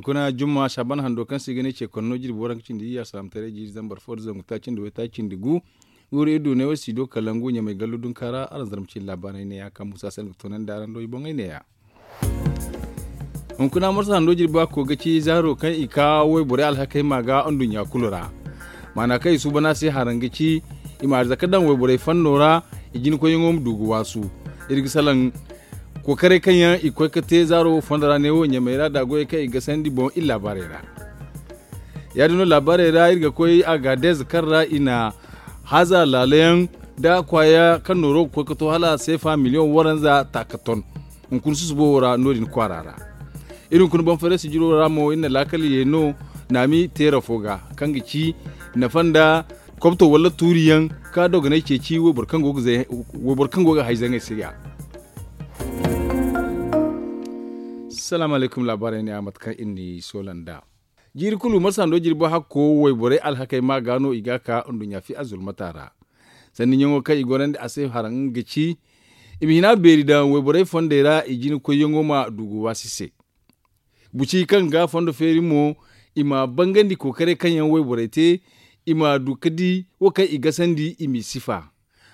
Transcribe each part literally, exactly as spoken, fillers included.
Kuna jumma saaban hando kaŋ se i ga ne ce konno jirbi waranka cindi iyya salaamataray jiiri zambar fo da zangu taaci nda waytaaci nda gu. Wuri iri du ne wo si do kala ngu ɲamay gallu dunka ra araŋ zarma cindi laabaarey ne ya kaŋ musa se nga toonandi araŋ do i boŋey ne ya. Hunkuna marsa hando jirbi a koy ga ci zaaro kaŋ i ka wayborey alhakey ma ga nduɲɲa kulu ra. Maana kaŋ i suuban a se haraŋ ga ci i ma arzaka daŋ wayborey fanno ra. I jina koyyaŋo ma du ga waasu. Iri ga salaŋ kookaray kaŋ yaŋ i koy ga te zaaro wo fondo ra ne wo ɲamay ra da goyey kaŋ i gasandi boŋ iri laabaarey ra. Ya- din no laabaarey ra iri ga koy a ga deeza kaŋ ra i na haaza laala yaŋ da kwaaya kaŋ nooro ga koy ga to hala seefa miliyoŋ waranza taaka ton. Hunkuna susubo wo ra no- din kwaara ra. Iri hunkuna boŋ farey sijiro ra mo iri na laakal ye no naami teera fo ga kaŋ ga ci nafa nda kobto wala tuuri yaŋ ka dogonay ceeci wayboro kaŋ go ga hay zaŋey se ya. Salaamu alaykum laabaarey ne a mate kaŋ iri n'i soola nd'a. Jiiri kulu marsa hando jirbi hakko wayborey alhakey ma ga no i ga ka nduɲɲa fi a zulmata ra. Sanni ɲaŋo kaŋ i gorandi a se haraŋ ga ci i ma hina beeri daŋ wayborey fondey ra i jina koyyaŋo ma du ga waasi se. Buci kaŋ ga fondo feeri mo i ma bangandi kookaray kaŋ yaŋ wayborey te i ma du ga di wo kaŋ i gasandi i m'i sifa.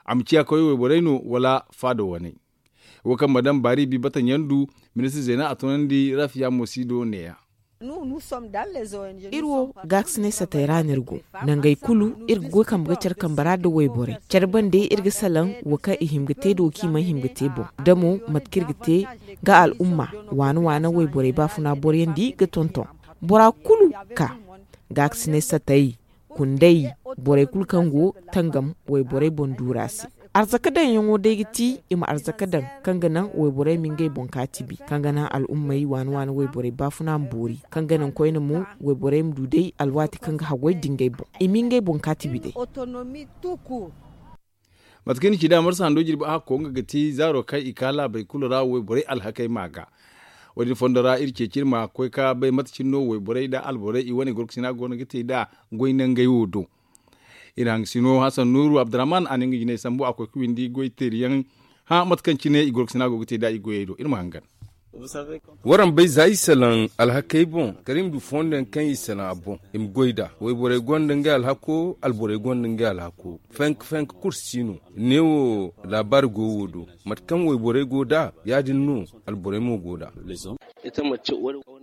A ma ciya koy wayborey no wala faada waney. Wo kaŋ madam baari bi bata ɲandu ministir zeena a toonandi rafiya mo si do ne- ya. Iri wo gaakasinay satay ra no iri go. Nangey kulu iri ga goy kambe ga care kambe ra nda wayborey care bande iri ga salaŋ wo kaŋ i hima ga te nda wo kaŋ i mana hima ga te boŋ da mo mate kaŋ iri ga te ga al'umma waana waana wayborey baafuna boro yaŋ di ga tonton bora kulu ka gaakasinay satay kunday borey kulu kaŋ go tangam wayborey boŋ duura se. Arzaka daŋyaŋo day ga ti i ma arzaka daŋ kaŋ ga naŋ wayborey ma ngey boŋ kaati bi kaŋ ga naŋ al'ummey waana waana wayborey baafuna ma boori kaŋ ga naŋ koyne mo wayborey ma du day alwaati kaŋ ga haggoy nda ngey boŋ i ma ngey boŋ kaati bi day. Mate kaŋ ni ci da marsa hando jirbi a hakko nga ga ti zaaro kaŋ i ka laabey kulu ra wayborey alhakey ma ga. Wo- din fondo ra iri ceeci iri ma koy ka bay mate cine no wayborey nda alborey i wane gorkasina go no ga te nd'a goy nangey wo do. Iri hangasino hasan nuuru abdurrahman a na nga jinay sambu a koy ga windi goy teeri yaŋ hã mate kaŋ cine i gorkasina go ga te nd'a i goyey do iri ma hangan. Waraŋ bay za i salaŋ alhakey boŋ kala i ma du fondo yaŋ kaŋ i salaŋ a boŋ i ma goy nd'a wayborey gonda ngey alhako alborey gonda ngey alhako. Fenk fenk kulu si no. Ne wo laabaari go wo do mate kaŋ wayborey go nd'a ya- din no alborey mo go nd'a.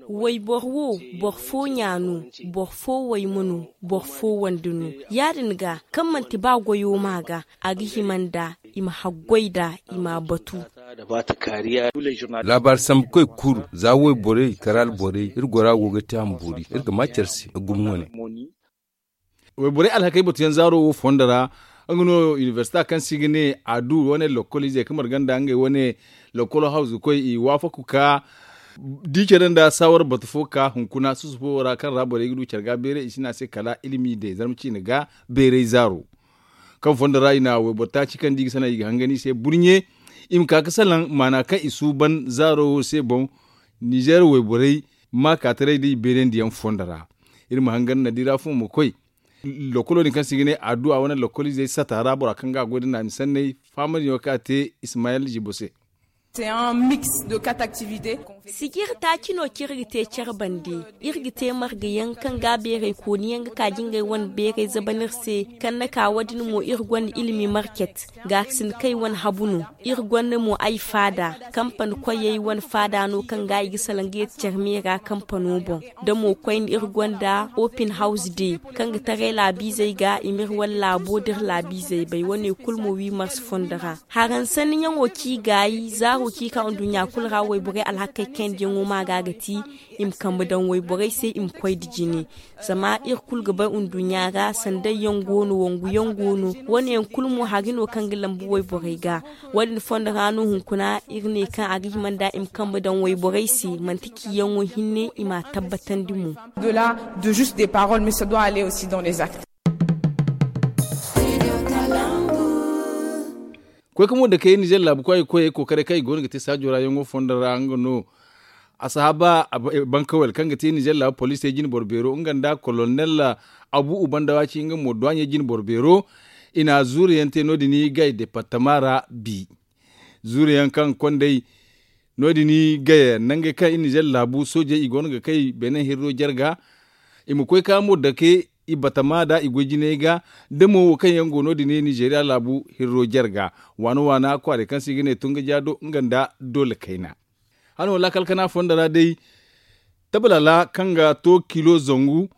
Wayboro wo boro fo ɲa no, boro fo wayma no, boro fo wande no. Ya- din ga kaŋ manti ba goyo ma ga a ga hima nd'a i ma haggoy nd'a i m'a batu. Laabaari sambukoy kulu za wayborey kala alborey iri gora go ga te a ma boori iri ga ma care se gumo wane. Wayborey alhakey batuyaŋ zaaro wo fondo ra nga no inibersita kaŋ se i ga ne a du wane lokkol izey kaŋ marga nda ngey wane lokkolo hawzukoy i waafaku ka di care nda saawar batu fo ka hunkuna susubo wo ra kaŋ ra borey ga du care ga beeray i si ne a se kala ilimi day zarma ciine ga beeray zaaro. Kaŋ fondo ra i na wayboro taaci kaŋ da i ga sanaŋ i ga hangan i se burɲe i ma ka ga salaŋ maana kaŋ i suuban zaaro wo se boŋ. Nizeer wayborey maakaataray da i beerandi yaŋ fondo ra. Iri ma hangan na di ra fo ma koy lokolo din kaŋ se i ga ne adduwa wane lokoliizey sata ra bora kaŋ ga a goy da naami sanney fahamadiyaŋo kaŋ a te ismayel zibo se. Sijir taaci no kaŋ iri ga te care bande. Iri ga te marga yaŋ kaŋ ga beeray kooni yaŋ ga ka jingay wane beeray zaban iri se kaŋ na ka wo- din mo iri gonda ilimi market. Gaakasin kay wane habu no. Iri gonda mo ay faada kampani koyey wane faada no kaŋ ga i ga salaŋ ga yeeti care meera kampano boŋ. Da mo koyne iri gonda opin hawz de kaŋ ga taray laabiizey ga i ma iri wane laabo da iri laabiizey bay wane kulu mo wi marse fondo ra. Haransanniyaŋo kaŋ i gaayi zaaro kaŋ i ka nduɲɲa kulu ra wayborey alhakey kayandiyaŋo ma ga ga ti i ma kambe daŋ wayborey se i ma koy nda jine. Zama iri kulu ga bay nduɲɲa ra sanday yaŋ go no wangu yaŋ go no. Wane yaŋ kulu mo hari no kaŋ ga lambu wayborey ga. Wo- din fondo ra no hunkuna iri ne kaŋ a ga hima nda i ma kambe daŋ wayborey se manti ciyaŋo hinne i m'a tabbatandi mo. Koy ka mo da kay nizer laabu koy koyey kookaray kaŋ i go no ga te saajo ra yaŋo fondo ra nga no. Asahaba bankawel kaŋ ga te nizer laabu poliisey jine boro beero nga nda kolonel abu ubandawaci nga mo duwaɲey jine boro beero. I na zuure yaŋ te no- din gay departama ra bi. Zuure yaŋ kaŋ kondey No- din gaye nangey kaŋ iri nizeer laabu soojey i go no ga kay beene hirro jarga. I ma koy ka mo dake i batama nda i goy jinay ga. Da mo wo kaŋ yaŋ go no- din nizeeriya laabu hirro jarga waana waana kwaarey kaŋ se i ga ne tungaja do nga nda doole kayna. Hano laakal kana fondo ra day, tabalaala kaŋ ga to kilo zangu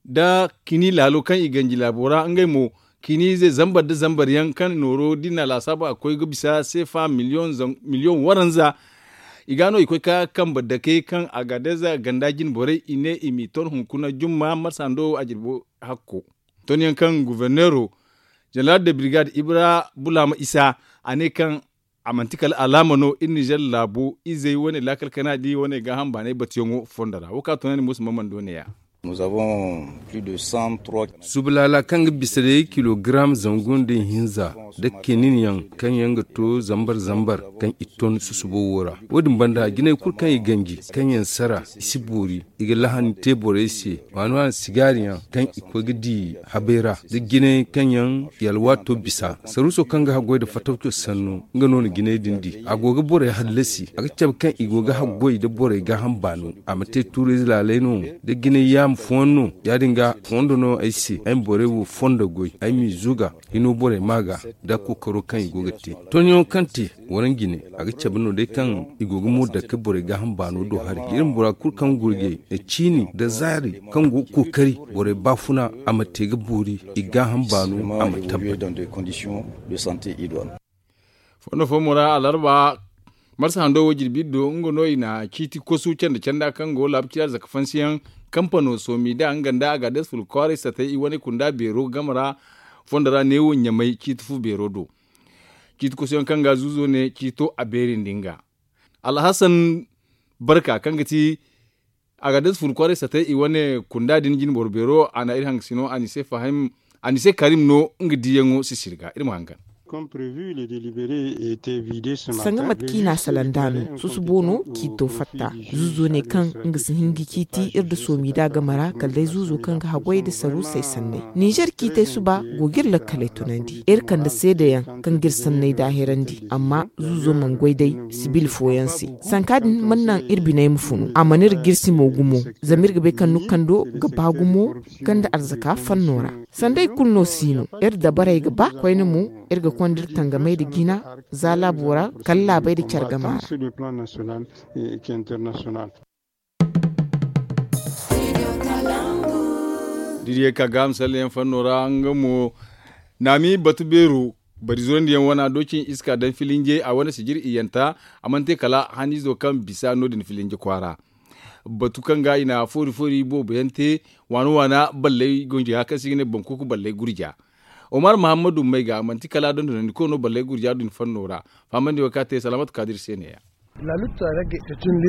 nda kini laalo kaŋ i ganji laabo ra ngey mo, kini ize zambar nda zambar yaŋ kaŋ nooro da i na a laasaabu a ga koy ga bisa seefa miliyoŋ waranza. I ga no i koy ka kambe dake kaŋ a ga deeza ganda jine borey i ne i m'i ton hunkuna jumma marsa hando a jirbo hakko. Ton yaŋ kaŋ goforneero jeneraal de birigad ibra bulaama isa, a ne kaŋ a manti kala alaama no iri nizeer laabo izey wane laakal kana di wane gaaham baanay batuyaŋo fondo ra wo kaŋ a tunandi muusa mamman do ne- ya. Subulaala kaŋ ga bisa day kilogaram zangu nda ihinza nda kinin yaŋ kaŋ yaŋ ga to zambar zambar kaŋ i ton susubo wo ra. Wo- din banda jinay kulu kaŋ i ganji kaŋ yaŋ sara i si boori. I ga lahani te borey se waani waani sigaari yaŋ kaŋ i koy ga di habay ra da jinay kaŋ yaŋ i alwaato bisa saruuso kaŋ ga haggoy nda fatawco sannu. Nga no na jinay din di a go ga borey hallasi a ga cabe kaŋ i go ga haggoy nda borey gaaham baano. A ma te tuuriize laalay no da jinay yaama fooyaŋ no. Ya- din ga fondo no ay se ay ma borey wo fondo goy ay m'i zuga hino borey ma ga nda kookaro kaŋ i go ga te tonyaŋo kaŋ te. Waraŋ jine a ga cabe no day kaŋ i go ga mo dake borey gaaham baano do hari iri ma bora kulu kaŋ gurjay nda ciini nda zaari kaŋ go ga kookari borey baafuna a ma te ga boori i gaaham baano a ma tabbat. Fondo fo mo ra alarba marsa hando wo jirbi iddo nga no i na ciiti kosu canda canda kaŋ go laabu ciira zaka fansiyaŋ kampano soomi da nga nda a ga dees ful kwaaray satay i wane kunda beero game ra. Fondo ra neewo ɲamay ciiti fu beero do. Ciiti kosu yaŋ kaŋ ga zuuzo ne ciito a beerindi nga alhasan barka kaŋ ga ti a ga dees ful kwaaray satay i wane kunda din jine boro beero a na iri hangasino a na i se karim no. Nga diyaŋo sisiri ga iri ma hangan. Sanga mate kaŋ i n'a salaŋ nd'a no susubo no ciito fatta. Zuuzo ne kaŋ nga si hin ga ciiti iri nda soomi da game ra kala day zuuzo kaŋ ga haggoy nda saruusey sanney ninzeer ciitey suba go ga iri lakkaley tunandi iri kande seedeyaŋ kaŋ ga iri sanney daaherandi amma zuuzo mana goy day sibil fooyaŋ se. Sanka din mana naŋ iri biney ma funu a mana iri jirsi mo gumo. Zama iri ga bay kaŋ nukando ga ba gumo ganda arzaka fanno ra. Sanda i kulu no si no iri dabarey ga ba koyne mo iri ga konda iri tangamey nda jina za laabo ra kala laabey nda care gama ra. Diriye ka ga misalyaŋ fanno ra nga mo naami batu beero bari zurandiyaŋ wana doocin iska daŋ filinjey a wane sijir iyanta. A mana te kala haniizo kaŋ bisa no- din filinje kwaara. Batu kaŋ ga i na foori foori boobo yaŋ te waana waana balley gonji ga kaŋ se i ga ne bankuku balley gurja. Omar mahammadu may ga manti kala dondonandi koy no balley gurja din fanno ra. Fahamandi wo kaŋ a te salaamatu kaadir se ne- ya.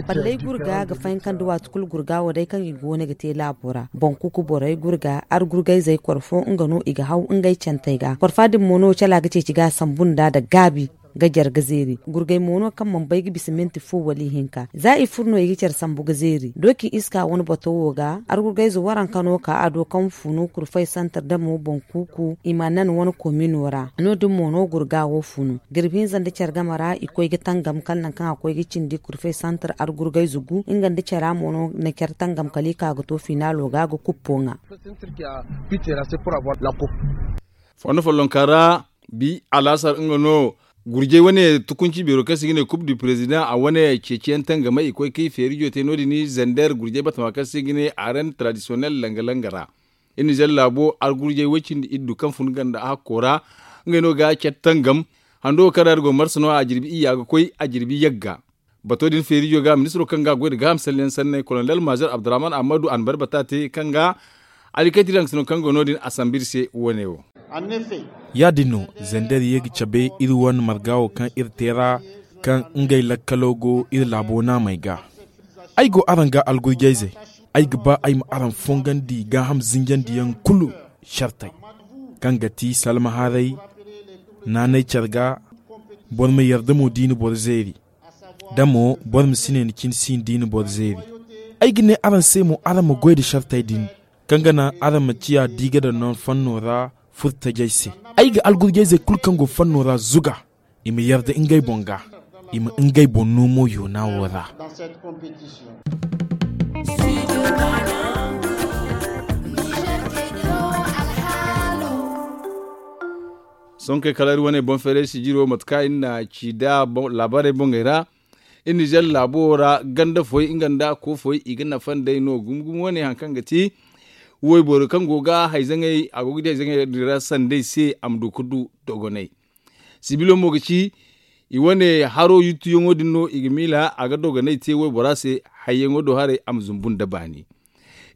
Balley gurga ga fahinka nda waati kulu gurga wo day kaŋ i go no ga te laabo ra bankuku borey gurga argurgayzey korfo nga no i ga haw ngey cantey ga korfa din mo no cala ga ceeci ga sambu nda nda gaabi ga jare ga zeeri gurgay mo no kaŋ mana bay ga bisa minti fo wala ihinka za i furo no i ga care sambu ga zeeri dooci iska wane bato wo ga argurgayze waranka no ka a do kaŋ funu kurfay santar damo boŋ kuuku i ma nan wane komino ra no- din mo no gurga wo funu jirbi hinza nda care game ra i koy ga tangam kala nangu kaŋ a koy ga cindi kurfay santar argurgayze gu nga nda cara mo no na care tangam kala i ka ga to finaalo ga ga kuppo ŋwa. Fondo follonka ra bi alaasar nga no gurjey wane tukunci beero kaŋ se i ga ne kub du president a wane ceeciyaŋ tangamay i koy kay feerijo te no- din zander gurjey batama kaŋ se i ga ne aren tradisiyonel langa langa ra. Iri nizer laabo argurjey way cindi iddu kaŋ fun ganda hakko ra ngey no ga care tangam. Hando wo kaŋ ra iri go marsa no a jirbi iyya ga koy a jirbi yagga. Bato din feerijo ga ministiro kaŋ ga goy nda gaaham salliyaŋ sanney kolonel mazer abdurrahman ahmadu anbar bata te kaŋ ga alikayti daŋ sino kaŋ go no- din a sambu iri se wane wo. Ya- din no zander ye ga cabe iri wane marga wo kaŋ iri te ra kaŋ ngey lakkalo go iri laabo naamey ga. Ay go araŋ ga algurjayzey ay ga ba ay ma araŋ fongandi gaaham zinjandiyaŋ kulu shartey kaŋ ga ti salmaharay naanay care ga boro ma yarda mo da i na boro zeeri da mo boro ma si ne ni cine si ni da i na boro zeeri. Ay ga ne araŋ se mo araŋ ma goy nda shartey din kaŋ ga naŋ araŋ ma ciya da i ga daŋ no fanno ra furtajey se. Ay ga algurjayzey kulu kaŋ go fanno ra zuga i ma yarda ngey boŋ ga I ma ngey boŋ no mo yoona wo ra. Sonkey kala iri wane boŋ feeray sijiro mate kaŋ iri na ci nd'a laabaarey boŋey ra. Iri nizer laabo ra ganda foy nga nda ko foy i ga nafa nd'ey no gumo gumo wane hari kaŋ ga ti wayboro kaŋ go ga hayzaŋey a go ga di hayzaŋey din ra sanday se a ma du ga du dogonay. Sibilo mo ga ci i wane haro yuttuyaŋo din no i ga miila a ga dogonay te waybora se. Hayyaŋo do haray a ma zumbu nda baani.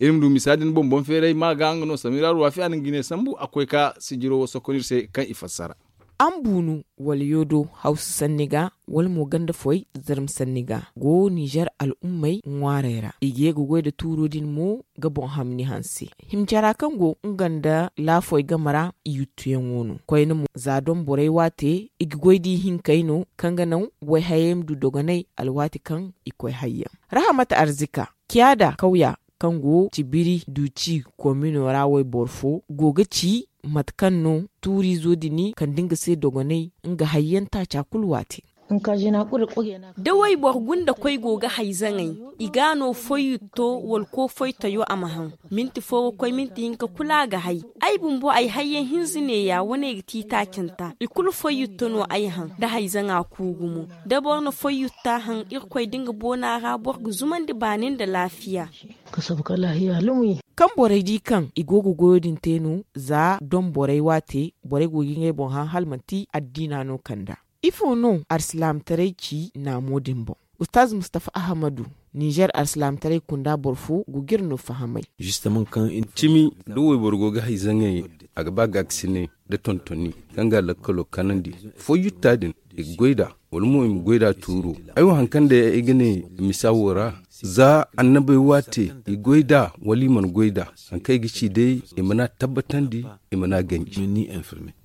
Iri ma du misa din boŋ boŋ feeray ma ga nga no samira ruwafi a na nga ne sambu a koy ka sijiro wo sokon iri se kaŋ i fassara. An bunu wala yoodo hawsu sanni ga wala mo ganda foy zarma sanni ga go nizer al'ummey ŋwaarey ra i ga ye ga goy nda tuuro din mo ga boŋ hamni hanse. Himcara kaŋ go nga nda laafoy game ra i yuttuyaŋo no koyne mo za doŋ borey waate i ga goy da ihinkey no kaŋ ga naŋ wayhayey ma du dogonay alwaati kaŋ i koy hayyaŋ. Rahamat arzika ciyaada kawya kaŋ go cibiri duci komino ra wayboro fo go ga ci mate kaŋ no tuuriizo din kande nga se dogonay nga hayyaŋ taaca kulu waate. Da wayboro gunda koy go ga hayzaŋey i ga no foyyutto wala ko foytayo a ma haŋ. Minti fo ga koy minti hinka kulu a ga hay. Ay bumbo ay hayyaŋ hinza neeya wane ga ti itaacinta i kulu foyyutto no ay haŋ da hayzaŋa ku gumo. Da boro na foyyutta haŋ irkoy da nga boona ra boro ga zumandi baani nda laafiya. Kaŋ borey di kaŋ i go ga goyo din te no za doŋ borey waate borey go ga ngey boŋ haŋ hala manti addiina no kand'a. Ifo no alsilaamataray ci naamo din boŋ? Ustaaz mustafa ahamadu nizer alsilaamataray kunda boro fo go ga iri no fahamay. Cimi da wayboro go ga hayzaŋey a ga ba gaakasinay da tontoni kaŋ ga lakkalo kanandi. Foyyutta din i ga goy nd'a wala mo i ma goy nd'a tuuro. Ay wo hari kaŋ day ay ga ne misa wo ra za annabey waate i goy nd'a wala i mana goy nd'a hari kaŋ ay ga ci day i mana tabbatandi i mana ganji.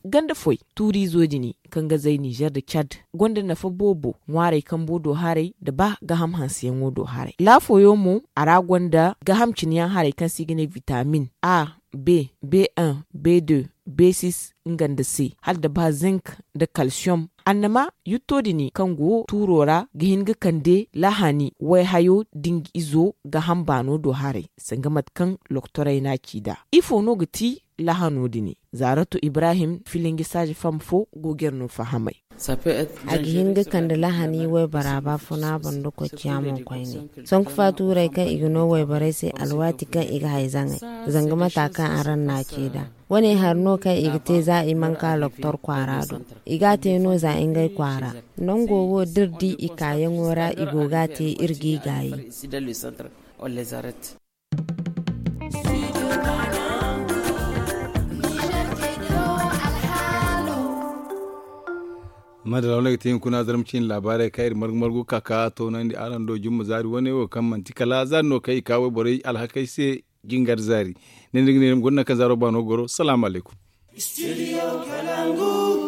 Ganda foy tuuriizo din kaŋ ga zay nizer nda cad gonda nafa boobo ŋwaarey kambo do haray nda ba gaham hanseyaŋo do haray laafoyo mo a ra gonda gaham cine yaŋ haray kaŋ se i ga ne vitamin a, b, b1, b2, b6, nga nda se hala nda ba zinc nda kalsiyom. Annama yutto din kaŋ go tuuro ra ga hin ga kande lahani wayhayo da nga izo gaham baano do haray sanga mate kaŋ lokotorey no a ci nd'a. Ifo no ga ti lahano din? Zaaratu ibrahim filinji saaza fam fo go ga iri no fahamay. A ga hin ga kande lahani waybora baafuna banda koy ciya mo koyne. Sanku faatuurey kaŋ i ga no wayborey se alwaati kaŋ i ga hayzaŋey zanga mata kaŋ araŋ na a ci nd'a. Wane hari no kaŋ i ga te za i mana ka lokotor kwaara do. I ga a te no za ngey kwaara. Nango wo da iri di i kaayaŋo ra i go ga a te iri g'i gaayi. Madalla wane ga te hunkuna zarma ciine laabaarey kaŋ iri margu margu ga ka ka toonandi araŋ do jumma zaari wane wo kaŋ manti kala zaari no kaŋ i ka wayborey alhakey se. Jingar zaari ne ni ga ne ni ma guna naŋ kaŋ zaaro baano goro salaamu alaykum.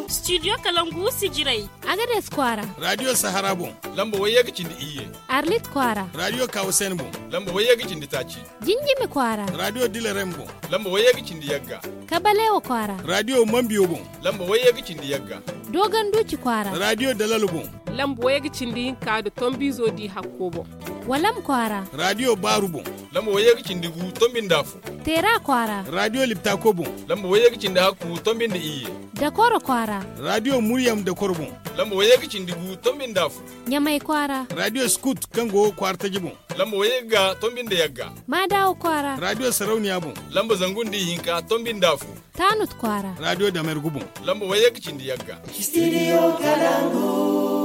Studio kalangu sijirey. Agades kwaara. Radio sahara boŋ. Lamba wayye ga cindi iyye. Arlit kwaara. Radio kawasen boŋ. Lamba wayye ga cindi taaci. Jinjimi kwaara. Radio dilarem boŋ. Lamba wayye ga cindi yagga. Kabalewa kwaara. Radio mambiyo boŋ. Lamba wayye ga cindi yagga. Dogon duci kwaara. Radio dalalo boŋ. Lamba wayye ga cindi hinka nda tombizo di hakko boŋ. Walam kwaara. Radio baaru boŋ. Lamba wayye ga cindi gu tombi nda afo. Teera kwaara. Radio liptako boŋ. Lamba wayye ga cindi hakku tombi nda iyye. Dakoro kwaara. Radio muryam dakoro boŋ. Lamba wayye ga cindi gu tombi nda afo. Ɲamay kwaara. Radio scout kaŋ go kwaara taji boŋ. Lamba wayye ga tombi nda yagga. Maadawa kwaara. Radio sarauniya boŋ. Lamba zangu nda ihinka tombi nda afo. Tanut kwaara. Radio damergu boŋ. Lamba wayye ga cindi yagga. Studio kalangu.